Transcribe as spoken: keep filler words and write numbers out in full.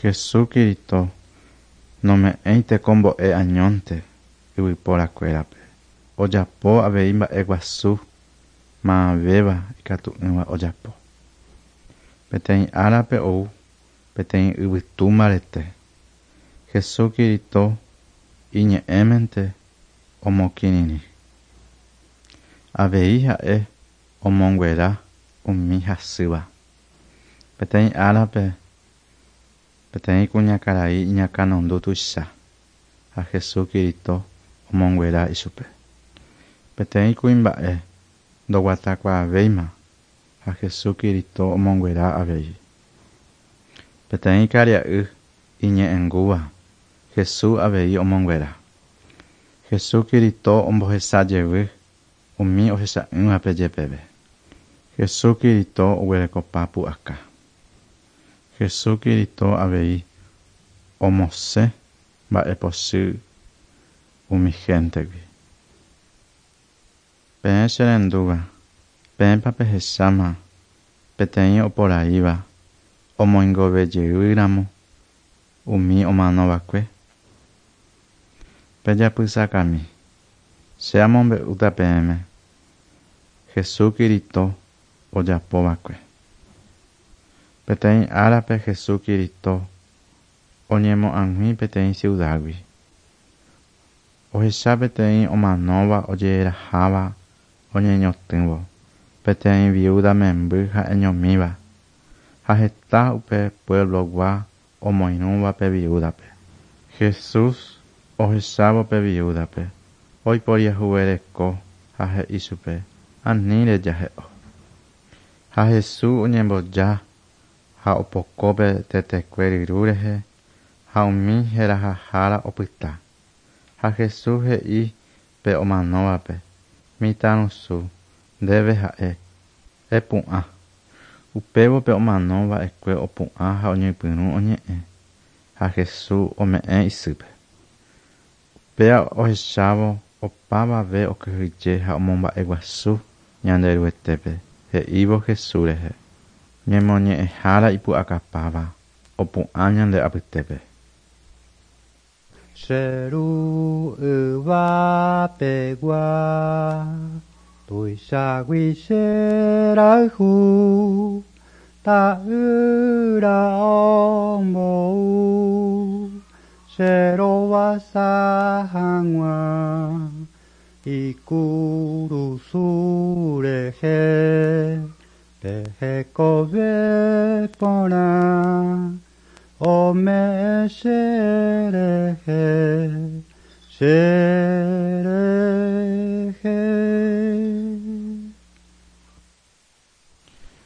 Jesucristo nome'ẽi tekombo'e añónte yvyporakuérape ojapo avei mba'eguasu maavéva ikatu'ỹva ojapo. Peteĩ árape ou peteĩ yvytu mbarete. Jesucristo iñe'ẽmente omokirirĩ. Avei ha'e omonguera umi hasýva. Peteĩ árape peteĩ kuñakarai iñakãnundu tuicha ha Jesucristo omonguera ichupe. Peteĩ kuimba'e ndoguatakuaavéima ha Jesucristo omonguera avei. Peteĩ karia'y iñe'ẽngúva Jesús avei omonguera. Jesucristo ombohesajevy umi ohecha'ỹvape jepeve. Jesucristo oguerekopa pu'aka. Jesucristo avei omosẽ mba'epochy umi gentegui. Peẽ cherendúva, peẽpa pehecháma peteĩ oporaíva omoingovejeýramo umi omanova'ekue. Pejapysakami, che amombe'úta peẽme Jesucristo ojapova'ekue. Peteĩ árape Jesucristo oñemoag̃ui peteĩ ciudad-gui. Ohecha peteĩ omanóva ojeraháva oñeñotỹvo peteĩ viuda memby ha'eñomíva ha heta upe pueblo-gua omoirũva pe viudape. Jesús ohechávo pe viudape oiporiahuvereko ha he'i chupe ani rejahe'o. Ha Jesús oñemboja ha opoko pe tetekue ryru rehe ha umi herahahára opyta. Ha Jesús he'i pe omanóvape mitãrusu ndéve ha'e epu'ã. Upévo pe omanova'ekue opu'ã ha oñepyrũ oñe'ẽ ha Jesús ome'ẽ isýpe. Upéva ohechávo opavave okyhyje ha omomba'eguasu Ñanderuetépe he'ívo Jesús rehe. Ñemoñe'ẽhára ipu'akapáva opu'ã ñande apytépe. Che ru yvapegua tuichagui cherayhu ta'ýra ombou cherovasa hag̃ua ikurusu rehe pehekove porã ome'ẽ cherehe che